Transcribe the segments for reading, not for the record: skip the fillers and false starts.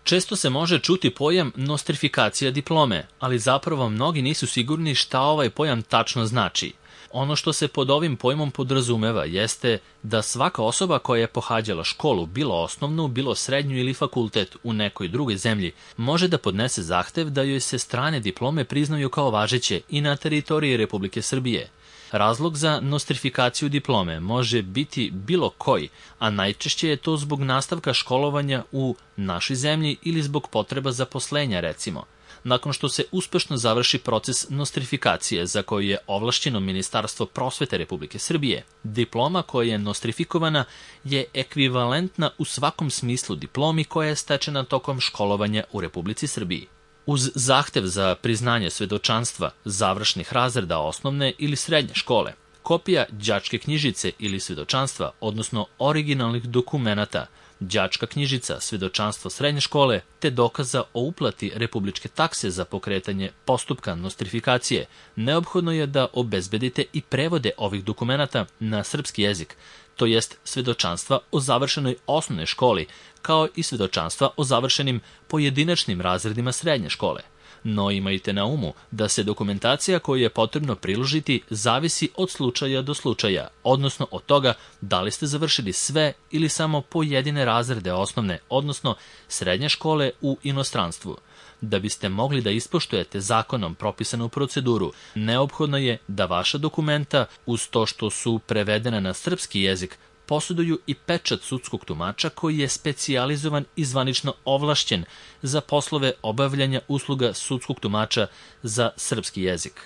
Često se može čuti pojam nostrifikacija diplome, ali zapravo mnogi nisu sigurni šta ovaj pojam tačno znači. Ono što se pod ovim pojmom podrazumeva jeste da svaka osoba koja je pohađala školu, bilo osnovnu, bilo srednju ili fakultet u nekoj drugoj zemlji, može da podnese zahtev da joj se strane diplome priznaju kao važeće i na teritoriji Republike Srbije. Razlog za nostrifikaciju diplome može biti bilo koji, a najčešće je to zbog nastavka školovanja u našoj zemlji ili zbog potreba zaposlenja, recimo. Nakon što se uspešno završi proces nostrifikacije za koju je ovlašćeno Ministarstvo prosvete Republike Srbije, diploma koja je nostrifikovana je ekvivalentna u svakom smislu diplomi koja je stečena tokom školovanja u Republici Srbiji. Uz zahtev za priznanje svedočanstva završnih razreda osnovne ili srednje škole, kopija đačke knjižice ili svedočanstva, odnosno originalnih dokumenata, đačka knjižica, svedočanstvo srednje škole, te dokaza o uplati republičke takse za pokretanje postupka nostrifikacije, neophodno je da obezbedite i prevode ovih dokumenata na srpski jezik, to jest svedočanstva o završenoj osnovnoj školi, kao i svedočanstva o završenim pojedinačnim razredima srednje škole. No imajte na umu da se dokumentacija koju je potrebno priložiti zavisi od slučaja do slučaja, odnosno od toga da li ste završili sve ili samo pojedine razrede osnovne, odnosno srednje škole u inostranstvu. Da biste mogli da ispoštujete zakonom propisanu proceduru, neophodno je da vaša dokumenta, uz to što su prevedena na srpski jezik, posjeduju i pečat sudskog tumača koji je specijalizovan i zvanično ovlašćen za poslove obavljanja usluga sudskog tumača za srpski jezik.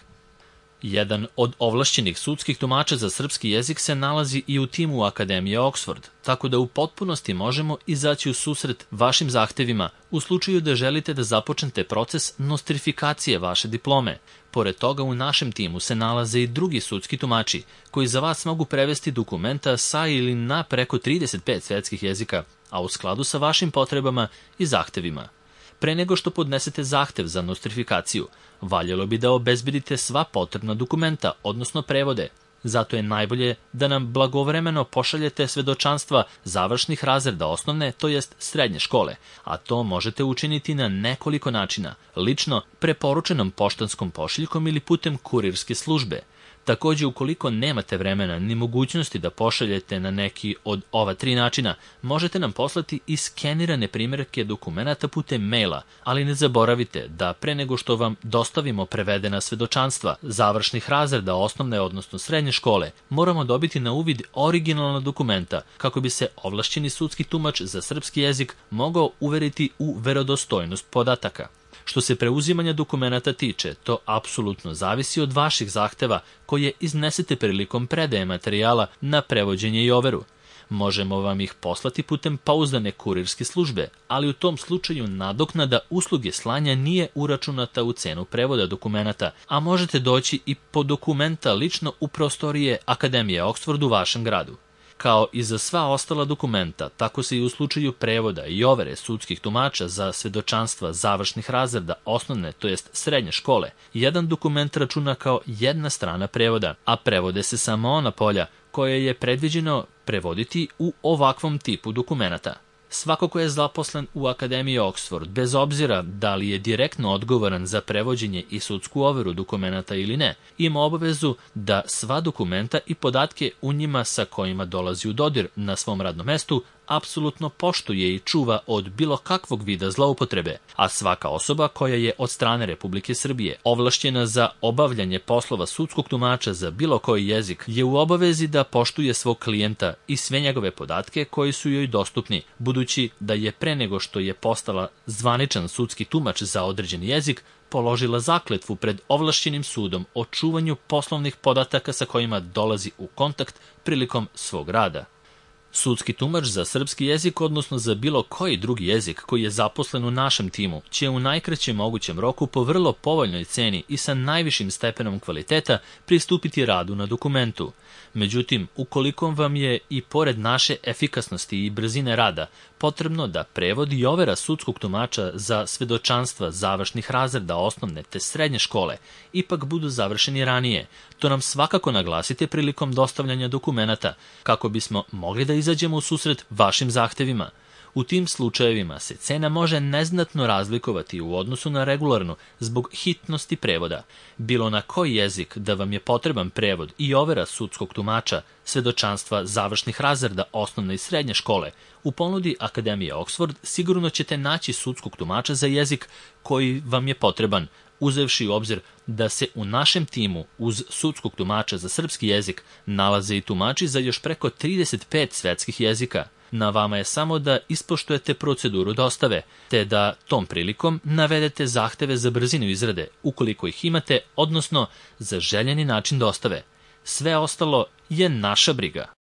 Jedan od ovlašćenih sudskih tumača za srpski jezik se nalazi i u timu Akademije Oxford, tako da u potpunosti možemo izaći u susret vašim zahtevima u slučaju da želite da započnete proces nostrifikacije vaše diplome. Pored toga, u našem timu se nalaze i drugi sudski tumači koji za vas mogu prevesti dokumenta sa ili na preko 35 svetskih jezika, a u skladu sa vašim potrebama i zahtevima. Pre nego što podnesete zahtev za nostrifikaciju, valjalo bi da obezbedite sva potrebna dokumenta, odnosno prevode. Zato je najbolje da nam blagovremeno pošaljete svedočanstva završnih razreda osnovne, to jest srednje škole, a to možete učiniti na nekoliko načina, lično, preporučenom poštanskom pošiljkom ili putem kurirske službe. Takođe, ukoliko nemate vremena ni mogućnosti da pošaljete na neki od ova 3 načina, možete nam poslati i skenirane primerke dokumenata putem maila, ali ne zaboravite da pre nego što vam dostavimo prevedena svedočanstva završnih razreda osnovne, odnosno srednje škole, moramo dobiti na uvid originalna dokumenta kako bi se ovlašćeni sudski tumač za srpski jezik mogao uveriti u verodostojnost podataka. Što se preuzimanja dokumenata tiče, to apsolutno zavisi od vaših zahteva koje iznesete prilikom predaje materijala na prevođenje i overu. Možemo vam ih poslati putem pouzdane kurirske službe, ali u tom slučaju nadoknada usluge slanja nije uračunata u cenu prevoda dokumenata, a možete doći i po dokumenta lično u prostorije Akademije Oxford u vašem gradu. Kao i za sva ostala dokumenta, tako se i u slučaju prevoda i overe sudskih tumača za svedočanstva završnih razreda osnovne, to jest srednje škole, jedan dokument računa kao jedna strana prevoda, a prevode se samo ona polja koje je predviđeno prevoditi u ovakvom tipu dokumenata. Svako ko je zaposlen u Akademiji Oxford, bez obzira da li je direktno odgovoran za prevođenje i sudsku overu dokumenata ili ne, ima obavezu da sva dokumenta i podatke u njima sa kojima dolazi u dodir na svom radnom mestu apsolutno poštuje i čuva od bilo kakvog vida zloupotrebe, a svaka osoba koja je od strane Republike Srbije ovlašćena za obavljanje poslova sudskog tumača za bilo koji jezik je u obavezi da poštuje svog klijenta i sve njegove podatke koji su joj dostupni, budući da je pre nego što je postala zvaničan sudski tumač za određeni jezik, položila zakletvu pred ovlašćenim sudom o čuvanju poslovnih podataka sa kojima dolazi u kontakt prilikom svog rada. Sudski tumač za srpski jezik, odnosno za bilo koji drugi jezik koji je zaposlen u našem timu, će u najkraćem mogućem roku po vrlo povoljnoj ceni i sa najvišim stepenom kvaliteta pristupiti radu na dokumentu. Međutim, ukoliko vam je i pored naše efikasnosti i brzine rada potrebno da prevod i overa sudskog tumača za svedočanstva završnih razreda osnovne te srednje škole ipak budu završeni ranije, to nam svakako naglasite prilikom dostavljanja dokumenata kako bismo mogli da izađemo u susret vašim zahtevima. U tim slučajevima se cena može neznatno razlikovati u odnosu na regularnu zbog hitnosti prevoda. Bilo na koji jezik da vam je potreban prevod i overa sudskog tumača, svedočanstva završnih razreda osnovne i srednje škole, u ponudi Akademije Oxford sigurno ćete naći sudskog tumača za jezik koji vam je potreban, uzevši u obzir da se u našem timu uz sudskog tumača za srpski jezik nalaze i tumači za još preko 35 svetskih jezika. Na vama je samo da ispoštujete proceduru dostave, te da tom prilikom navedete zahteve za brzinu izrade, ukoliko ih imate, odnosno za željeni način dostave. Sve ostalo je naša briga.